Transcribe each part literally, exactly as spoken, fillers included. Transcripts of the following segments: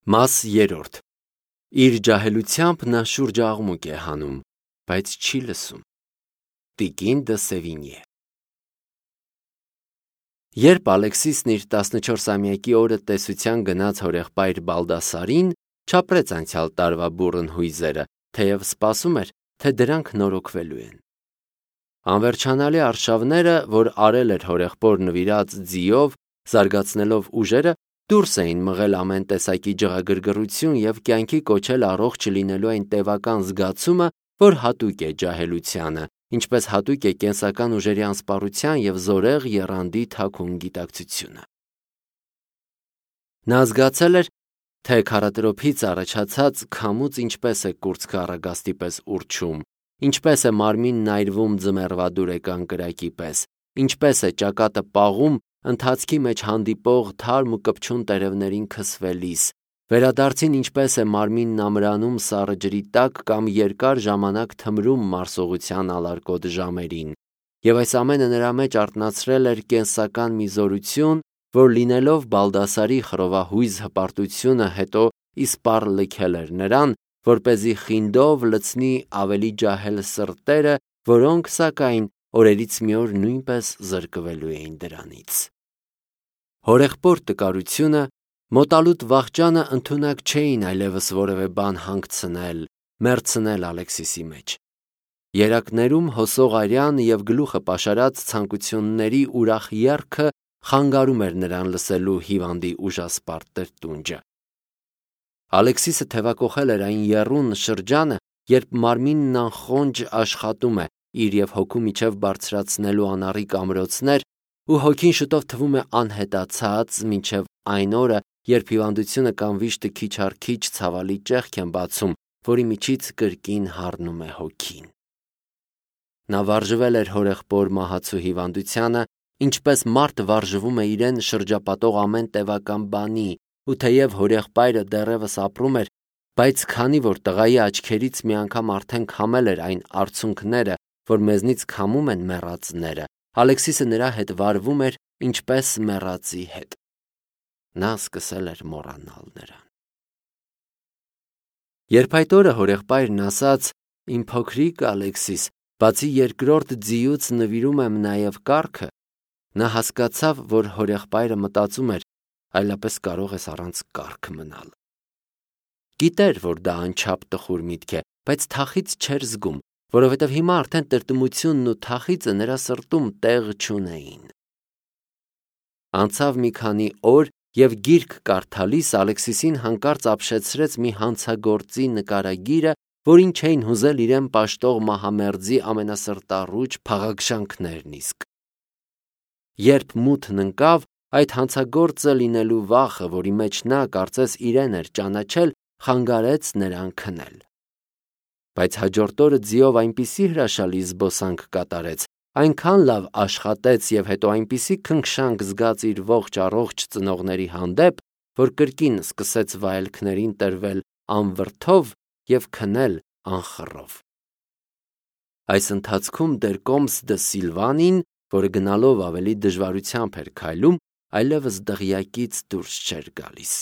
Մաս երրորդ. Իր ջահելությամբ նա շուրջաղմուկ է հանում, բայց չի լսում։ Տիկին դը Սևինյե Երբ Ալեքսիսն իր տասնչորսամյակի օրը տեսության գնաց հորեղբայր Բալդասարին, չապրեց անցյալ տարվա բուռն հույզերը, թեև սպասում էր, թե դրանք նորոգվելու են։ Անվերջանալի արշավները, որ արել էր հորեղբոր նվիրած ձիով, զարգացնելով ուժերը, դուրս էին մղել ամեն տեսակի ջղագրգռություն և կյանքի կոչել առողջ լինելու այն տևական զգացումը, որ հատուկ է ջահելությանը, ինչպես հատուկ է կենսական ուժերի անսպառության և զորեղ եռանդի թաքուն գիտակցությունը։ Նա զգացել էր, թե քարատրոփից առաջացած քամուց ինչպես է կուրծքը առագաստի պես ուռչում, ինչպես է մարմինն այրվում ձմեռվադուրեկան կրակի պես, ինչպես է ճակատը պաղում ընթացքի մեջ հանդիպող թարմ ու կպչուն տերևներին քսվելիս, վերադարձին ինչպես է մարմինն ամրանում սառը ջրի տակ կամ երկար ժամանակ թմրում մարսողության ալարկոտ ժամերին, և այս ամենը նրա մեջ արթնացրել էր կենսական մի զորություն, որ լինելով Բալդասարի խռովահույզ հպարտությունը հետո իսպառ լքել էր նրան, որպեսզի խինդով լցնի ավելի ջահել սրտերը, որոնք, սակայն, օրերից մի օր նույնպես զրկվելու էին դրանից։ Հորեղբոր տկարությունը, մոտալուտ վախճանը ընդունակ չէին այլևս որևէ բան հանգցնել, մեռցնել Ալեքսիսի մեջ։ Երակներում հոսող արյան և գլուխը պաշարած ցանկությունների ուրախ եռքը խանգարում էր նրան լսելու հիվանդի ուժասպառ տրտունջը։ Ալեքսիսը թևակոխել էր այն եռուն շրջանը, երբ մարմինն անխոնջ աշխատում է իր և հոգու միջև բարձրացնելու անառիկ ամրոցներ, ու հոգին շուտով թվում է անհետացած, մինչև այն օրը, երբ հիվանդությունը կամ վիշտը քիչ առ քիչ ցավալի ճեղք են բացում, որի միջից կրկին հառնում է հոգին։ Նա վարժվել էր հորեղբոր մահացու հիվանդությանը, ինչպես մարդ վարժվում է իրեն շրջապատող ամեն տևական բանի, ու թեև հորեղբայրը դեռևս ապրում էր, բայց քանի որ տղայի աչքերից մի անգամ արդեն քամել էր այն արցունքները, որ մեզնից քամում են մեռածները, Ալեքսիսը նրա հետ վարվում էր ինչպես մեռածի հետ։ Նա սկսել էր մոռանալ նրան։ Երբ այդ օրը հորեղբայրն ասաց. «Իմ փոքրիկ Ալեքսիս, բացի երկրորդ ձիուց նվիրում եմ նաև կառքը», նա հասկացավ, որ հորեղբայրը մտածում էր. այլապես կարող ես առանց կառք մնալ։ Գիտեր, որ դա անչափ տխուր միտք է, բայց թախիծ չէր զգում, որովհետև հիմա արդեն տրտմությունն ու թախիծը նրա սրտում տեղ չունեին։ Անցավ մի քանի օր, և գիրք կարդալիս Ալեքսիսին հանկարծ ապշեցրեց մի հանցագործի նկարագիրը, որին չէին հուզել իրեն պաշտող մահամերձի ամենասրտառուչ փաղաքշանքներն իսկ։ Երբ մութն ընկավ, այդ հանցագործը լինելու վախը, որի մեջ նա կարծես իրեն էր ճանաչել, խանգարեց նրան քնել։ Բայց հաջորդ օրը ձիով այնպիսի հրաշալի զբոսանք կատարեց, այնքան լավ աշխատեց և հետո այնպիսի քնքշանք զգաց իր ողջ առողջ ծնողների հանդեպ, որ կրկին սկսեց վայելքներին տրվել անվրդով և քնել անխռով։ Այս ընթացքում դեռ Կոմս դը Սիլվանին, որը գնալով ավելի դժվարությամբ էր քայլում, այլևս դղյակից դուրս չէր գալիս։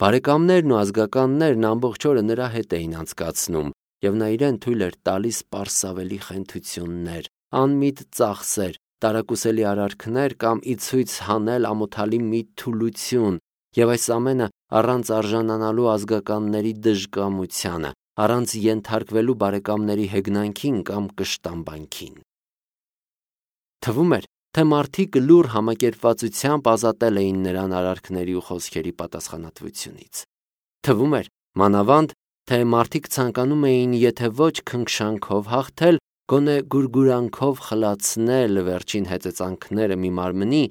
Բարեկամներն ու ազգականներն ամբողջ օրը նրա հետ էին անցկացնում, և նա իրեն թույլ էր տալիս պարսավելի խենթություններ, անմիտ ծախսեր, տարակուսելի արարքներ կամ ի ցույց հանել ամոթալի մի թուլություն, և այս ամենը առանց արժանանալու ազգականների դժկամությանը, առանց ենթարկվելու բարեկամների հեգնանքին կամ կշտամբանքին։ Թվում էր, թե մարդիկ լուռ համակերպվածությամբ ազատել էին նրան արարքների ու խոսքերի պատասխանատվությունից։ Թվում էր, մանավանդ, թե մարդիկ ցանկանում էին եթե ոչ քնքշանքով հաղթել, գոնե գուրգուրանքով խլացնել վերջին հեծեծանքները մի մարմնի,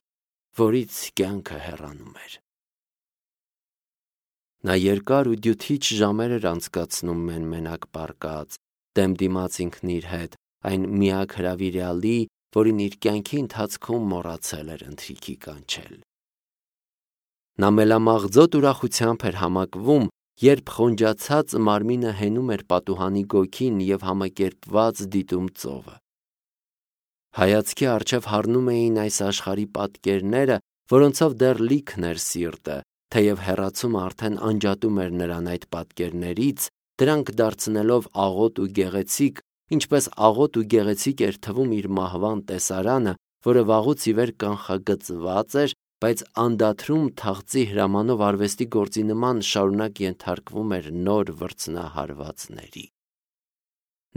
որից կյանքը հեռանում էր։ Նա երկար ու դյութիչ ժամեր էր անցկացնում մեն-մենակ պառկած, դեմ դիմաց ինքն իր հետ, այն միակ հրավիրյալի, որին իր կյանքի ընթացքում մոռացել էր ընթրիքի կանչել։ Նա մելամաղձոտ ուրախությամբ էր համակվում, երբ խոնջացած մարմինը հենում էր պատուհանի գոգին և համակերպված դիտում ծովը։ Հայացքի առջև հառնում էին այս աշխարհի պատկերները, որոնցով դեռ լիքն էր սիրտը, թեև հեռացումը արդեն անջատում էր նրան այդ պատկերներից, դրանք դարձնելով աղոտ ու գեղեցիկ, ինչպես աղոտ ու գեղեցիկ էր թվում իր մահվան տեսարանը, որը վաղուց ի վեր կանխագծված էր, բայց անդադրում թաղծի հրամանով արվեստի գործի նման շարունակ ենթարկվում էր նոր վրձնահարվածների։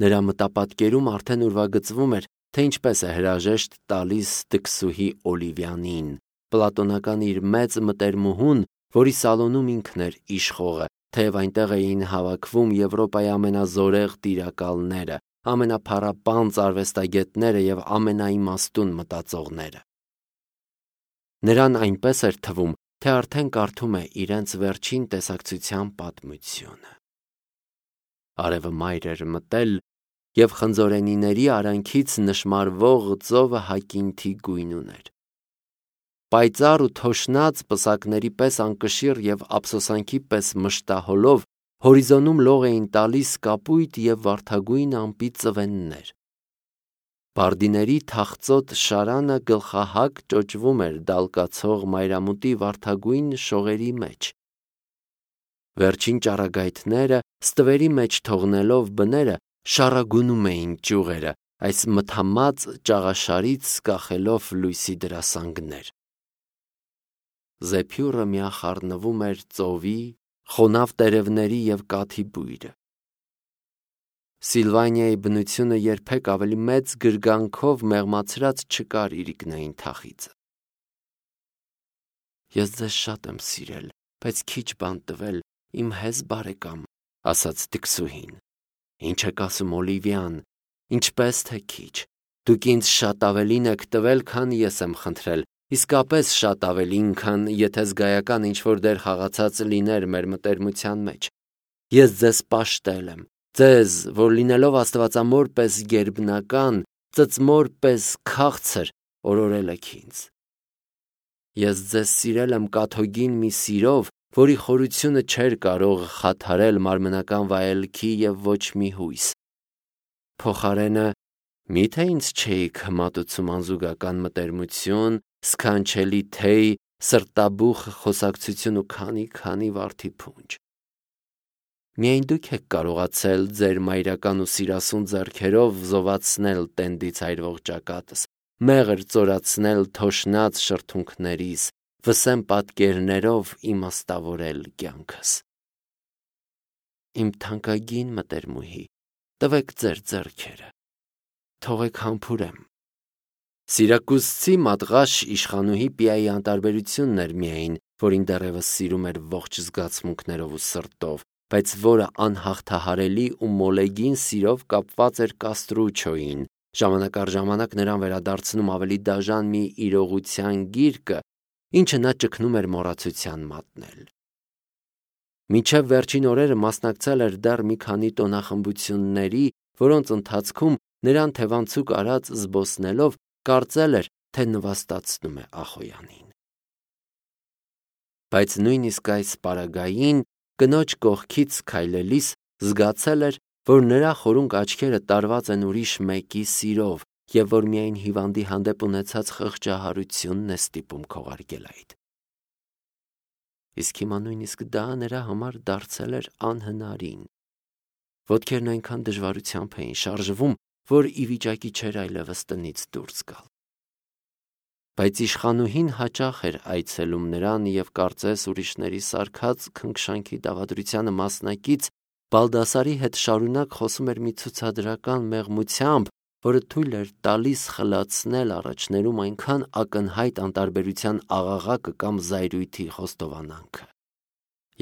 Նրա մտապատկերում արդեն ուրվագծվում էր, թե ինչպես է հրաժեշտ տալիս տքսուհի Օլիվիանին, պլատոնական իր մեծ մտերմուհուն, որի սալոնում ինքն էր իշխողը, թեև այնտեղ էին հավաքվում Եվրոպայի ամենազորեղ տիրակալները, ամենափառապանծ արվեստագետները և ամենաիմաստուն մտածողները։ Նրան այնպես էր թվում, թե արդեն կարդում է իրենց վերջին տեսակցության պատմությունը։ Արևը մայր էր մտել, և խնձորենիների արանքից նշմարվող ծովը հակինթի գույն ուներ։ Պայծառ ու թոշնած պսակների պես անկշիռ և ափսոսանքի պես մշտահոլով հորիզոնում լող էին տալիս կապույտ և վարդագույն ամպի ծվեններ։ Բարդիների թախծոտ շարանը գլխահակ ճոճվում էր դալկացող մայրամուտի վարդագույն շողերի մեջ։ Վերջին ճառագայթները ստվերի մեջ թողնելով բները շառագունում էին ճյուղերը, այս մթամած ճաղաշարից կախելով լույսի դրասանգներ։ Զեփյուռը միախառնվում էր ծովի, խոնավ տերևների և կաթի բույրը։ Սիլվանիայի բնությունը երբեք ավելի մեծ գրգանքով մեղմացրած չկար իրիկնային թախիծը։ Ես ձեզ շատ եմ սիրել, բայց քիչ բան տվել, իմ հեզ բարեկամ, ասաց տքսուհին։ Ինչ եք ասում, Օլիվիան, ինչպես թե քիչ, դուք ինձ շատ ավելին եք տվել, քան ես եմ խնդրել, իսկապես շատ ավելին, քան եթե զգայական ինչ-որ դեր խաղացած լիներ մեր մտերմության մեջ։ Ես ձեզ պաշտել եմ, ձեզ, որ լինելով աստվածամոր պես գերբնական, ծծմոր պես քաղցր, օրորել եք ինձ։ Ես ձեզ սիրել եմ կաթոգին մի սիրով, որի խորությունը չէր կարող խաթարել մարմնական վայելքի և ոչ մի հույս։ Փոխարենը, մի՞թե ինձ չէիք հմատուցում անզուգական մտերմություն, սքանչելի թեյ, սրտաբուխ խոսակցություն ու քանի-քանի վարդի փունջ։ Միայն դուք եք կարողացել ձեր մայրական ու սիրասուն ձեռքերով զովացնել տենդից այրվող ճակատս, մեղր ծորացնել թոշնած շրթունքներիս, վսեմ պատկերներով իմաստավորել կյանքս։ Իմ թանկագին մտերմուհի, տվեք ձեր ձեռքերը, թողեք համբուրեմ։ Սիրակուզցի մատղաշ իշխանուհի Պիայի անտարբերությունն էր միայն, որին դեռևս սիրում էր ողջ զգացմունքներով ու սրտով, բայց որը անհաղթահարելի ու մոլեգին սիրով կապված էր Կաստրուչոյին, ժամանակ առ ժամանակ նրան վերադարձնում ավելի դաժան մի իրողության գիրկը, ինչը նա ճգնում էր մոռացության մատնել։ Մինչև վերջին օրերը մասնակցել էր դեռ մի քանի տոնախմբությունների, որոնց ընթացքում նրան թևանցուկ արած զբոսնելով կարծել էր, թե նվաստացնում է Ախոյանին։ Բայց նույնիսկ այս պարագային կնոջ կողքից քայլելիս զգացել էր, որ նրա խորունկ աչքերը տարված են ուրիշ մեկի սիրով և որ միայն հիվանդի հանդեպ ունեցած խղճահարությունն է ստիպում քողարկել այդ։ Իսկ հիմա նույնիսկ դա նրա համար դարձել էր անհնարին։ Ոտքերն այնքան դժվարությամբ էին շարժվում, որ ի վիճակի չէր այլևս տնից դուրս գալ։ Բայց իշխանուհին հաճախ էր այցելում նրան և կարծես ուրիշների սարքած քնքշանքի դավադրությանը մասնակից Բալդասարի հետ շարունակ խոսում էր մի ցուցադրական մեղմությամբ, որը թույլ էր տալիս խլացնել առաջներում այնքան ակնհայտ անտարբերության աղաղակը կամ զայրույթի խոստովանանքը։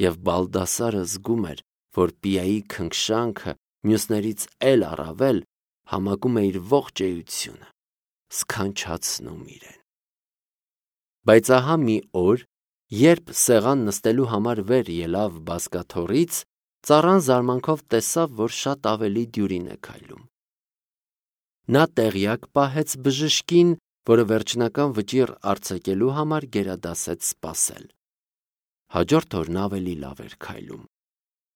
Եվ Բալդասարը զգում էր, որ Պիայի քնքշանքը մյուսներից էլ առավել համակում է իր ողջ էությունը, սքանչացնում իրեն։ Բայց ահա մի օր, երբ սեղան նստելու համար վեր ելավ բազկաթոռից, ծառան զարմանքով տեսավ, որ շատ ավելի դյուրին է քայլում։ Նա տեղյակ պահեց բժշկին, որը վերջնական վճիռ արձակելու համար գերադասեց սպասել։ Հաջորդ օրն ավելի լավ էր քայլում։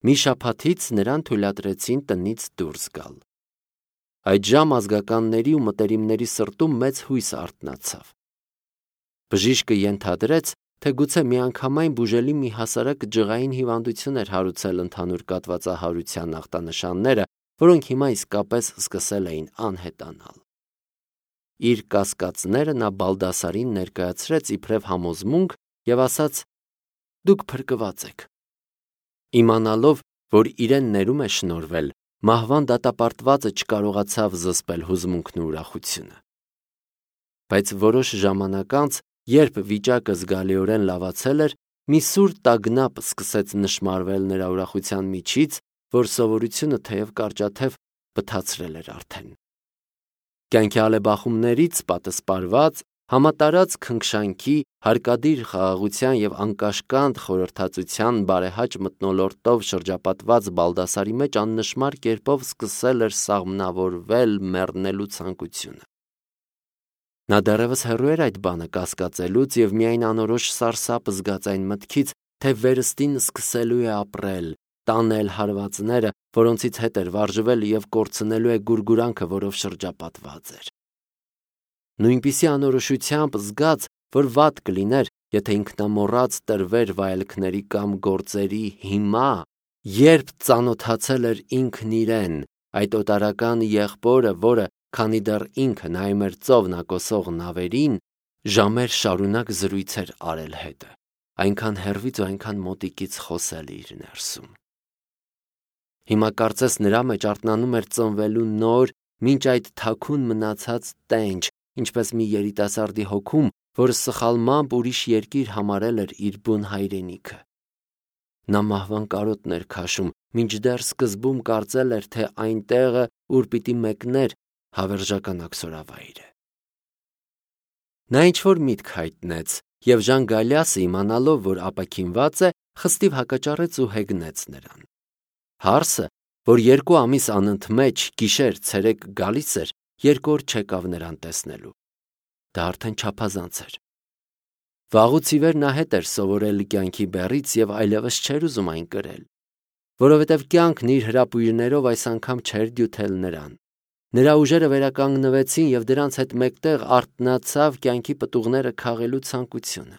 Մի շաբաթից նրան թույլատրեցին տնից դուրս գալ։ Այդ ժամ ազգականների ու մտերիմների սրտում մեծ հույս արթնացավ։ Բժիշկը ենթադրեց, թե գուցե միանգամայն բուժելի մի հասարակ ջղային հիվանդություն էր հարուցել ընդհանուր կատվածահարության ախտանշանները, որոնք հիմա իսկապես սկսել էին անհետանալ։ Իր կասկածները նա Բալդասարին ներկայացրեց իբրև համոզմունք և ասաց. «Դուք փրկված եք»։ Իմանալով, որ իրեն ներում է շնորհվել, մահվան դատապարտվածը չկարողացավ զսպել հուզմունքն ու ուրախությունը։ Բայց որոշ ժամանակ անց, երբ վիճակը զգալիորեն լավացել էր, մի սուր տագնապ սկսեց նշմարվել նրա ուրախության միջից, որ սովորությունը թեև կարճաթև բթացրել էր արդեն։ Կյանքի ալեբախումներից պատսպարված, համատարած քնքշանքի, հարկադիր խաղաղության և անկաշկանդ խորհրդածության բարեհաճ մթնոլորտով շրջապատված Բալդասարի մեջ աննշմար կերպով սկսել էր սաղմնավորվել մեռնելու ցանկությունը։ Նա դեռևս հեռու էր այդ բանը կասկածելուց և միայն անորոշ սարսափ զգաց այն մտքից, թե վերստին սկսելու է ապրել, տանել հարվածները, որոնցից հետ էր վարժվել և կորցնելու է գուրգուրանքը, որով շրջապատված էր։ Նույնպիսի անորոշությամբ զգաց, որ վատ կլիներ, եթե ինքնամոռաց տրվեր վայելքների կամ գործերի հիմա, երբ ծանոթացել էր ինքն իրեն, այդ օտարական եղբորը, որը, քանի դեռ ինքը նայում էր ծով նակոսող նավերին, ժամեր շարունակ զրույց էր արել հետը, այնքան հեռվից ու այնքան մոտիկից խոսել իր ներսում։ Հիմա կարծես նրա մեջ արթնանում էր ծնվելու նոր, մինչ այդ թաքուն մնացած տենչ, ինչպես մի երիտասարդի հոգում, որը սխալմամբ ուրիշ երկիր համարել էր իր բուն հայրենիքը։ Նա մահվան կարոտն էր քաշում, մինչդեռ սկզբում կարծել էր, թե այն տեղը, ուր պիտի մեկներ, հավերժական աքսորավայր է։ Նա ինչ-որ միտք հայտնեց, և Ժան Գալիասը, իմանալով, որ ապաքինված է, խստիվ հակաճառեց ու հեգնեց նրան։ Հարսը, որ երկու ամիս անընդմեջ գիշեր-ցերեկ գալիս էր, երկու օր չեկավ նրան տեսնելու։ Դա արդեն չափազանց էր։ Վաղուց ի վեր նա հետ էր սովորել կյանքի բեռից և այլևս չէր ուզում այն կրել, որովհետև կյանքն իր հրապույրներով այս անգամ չէր դյութել նրան։ Նրա ուժերը վերականգնվեցին և դրանց հետ մեկտեղ արթնացավ կյանքի պտուղները քաղելու ցանկությունը։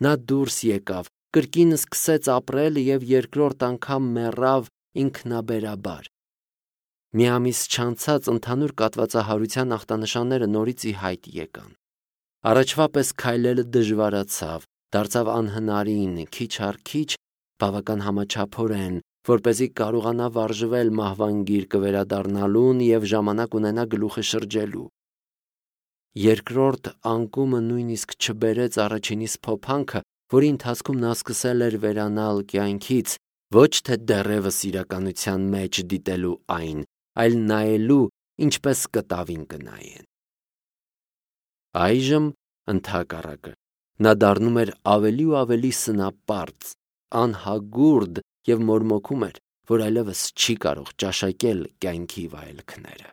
Նա դուրս եկավ, կրկին սկսեց ապրել և երկրորդ անգամ մեռավ ինքնաբերաբար։ Մի ամիս չանցած ընդհանուր կատվածահարության ախտանշանները նորից ի հայտ եկան։ Առաջվա պես քայլելը դժվարացավ, դարձավ անհնարին, քիչ առ քիչ, բավական համաչափորեն, որպեսզի կարողանա վարժվել մահվան գիրկը վերադառնալուն և ժամանակ ունենա գլուխը շրջելու։ Երկրորդ անկումը նույնիսկ չբերեց առաջինիս փոփանքը, որի ընթացքում նա սկսել էր վերանալ կյանքից, ոչ թե դեռևս իրականության մեջ դիտելու այն, այլ նայելու, ինչպես կտավին կնայեն։ Այժմ, ընդհակառակը, նա դառնում էր ավելի ու ավելի սնապարծ, անհագուրդ և մորմոքում էր, որ այլևս չի կարող ճաշակել կյանքի վայելքները։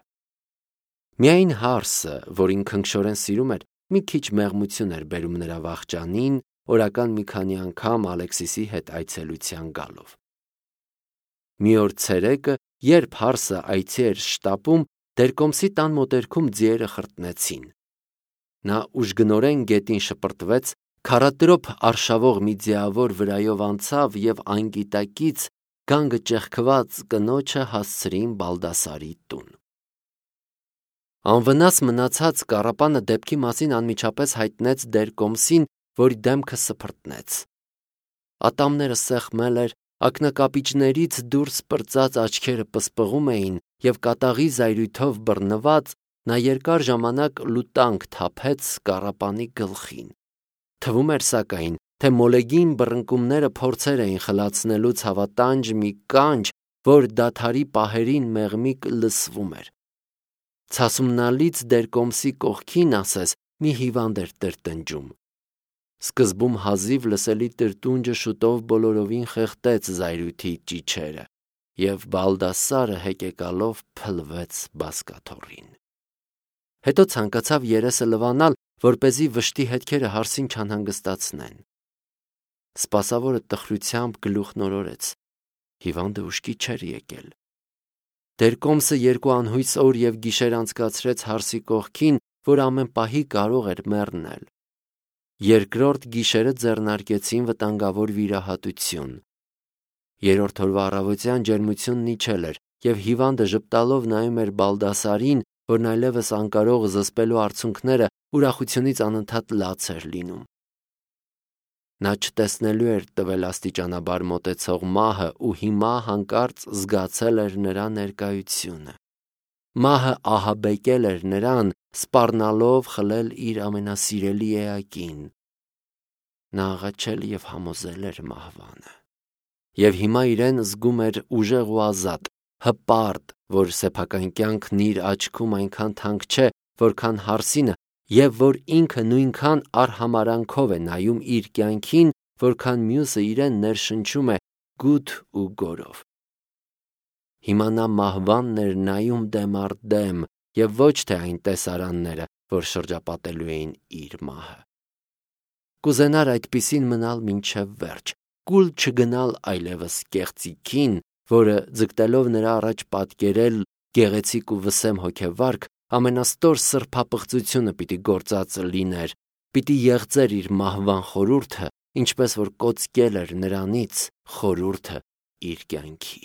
Միայն Հարսը, որին քնքշորեն սիրում էր, մի քիչ մեղմություն էր բերում նրա վախճանին, օրական մի քանի անգամ Ալեքսիսի հետ այցելության գալով։ Մի օր ցերեկը, երբ Հարսը այցի էր շտապում, Դերկոմսի տան մոտերքում ձիերը խրտնեցին։ Նա ուժգնորեն գետին շպրտվեց, քառատրոփ արշավող մի ձիավոր վրայով անցավ և անգիտակից գանգը ճեղքված կնոջը հասցրին Բալդասարի տուն։ Անվնաս մնացած կառապանը դեպքի մասին անմիջապես հայտնեց Դերկոմսին, որի դեմքը սփռտնեց։ Ատամները սեղմել էր, ակնակապիճներից դուրս պրծած աչքերը պսպղում էին և կատաղի զայրույթով բռնված նա երկար ժամանակ լուտանք թափեց կառապանի գլխին։ Թվում էր սակայն, թե մոլեգին բռնկումները փորձեր էին խլացնելու ցավատանջ մի կանչ, որ դադարի պահերին մեղմիկ լսվում էր։ Ցասումնալից Դերկոմսի կողքին, ասես, մի հիվանդ էր տրտնջում։ Սկզբում հազիվ լսելի տրտունջը շուտով բոլորովին խեղդեց զայրույթի ճիչերը, և Բալդասարը հեկեկալով փլվեց բազկաթոռին։ Հետո ցանկացավ երեսը լվանալ, որպեսզի վշտի հետքերը Հարսին չանհանգստացնեն։ Սպասավորը տխրությամբ գլուխն օրորեց. հիվանդը ուշքի չէր եկել։ Դերկոմսը երկու անհույս օր և գիշեր անցկացրեց Հարսի կողքին, որ ամեն պահի կարող էր մեռնել։ Երկրորդ գիշերը ձեռնարկեցին վտանգավոր վիրահատություն։ Երրորդ օրվա առավոտյան ջերմությունն իջել էր, և հիվանդը ժպտալով նայում էր Բալդասարին, որն այլևս անկարող զսպելու արցունքները ուրախությունից անընդհատ լաց էր լինում։ Նա չտեսնելու էր տվել աստիճանաբար մոտեցող մահը ու հիմա հանկարծ զգացել էր նրա ներկայությունը։ Մահը ահաբեկել էր նրան, սպառնալով խլել իր ամենասիրելի էակին։ Նա աղաչել և համոզել էր մահվանը։ Եվ հիմա իրեն զգում էր ուժեղ ու ազատ, հպարտ, որ սեփական կյանքն իր աչքում այնքան թանկ չէ, որքան Հարսինը, և որ ինքը նույնքան արհամարհանքով է նայում իր կյանքին, որքան մյուսը իրեն ներշնչում է գութ ու գորով։ Հիմա նա մահվանն էր նայում դեմ առ դեմ, և ոչ թե այն տեսարանները, որ շրջապատելու էին իր մահը։ Կուզենար այդպիսին մնալ մինչև վերջ, կուլ չգնալ այլևս կեղծիքին, որը ձգտելով նրա առաջ պատկերել գեղեցիկ ու վսեմ հոգեվարք, ամենաստոր սրբապղծությունը պիտի գործած լիներ, պիտի եղծեր իր մահվան խորհուրդը, ինչպես որ կոծկել էր նրանից խորհուրդը իր կյանքի։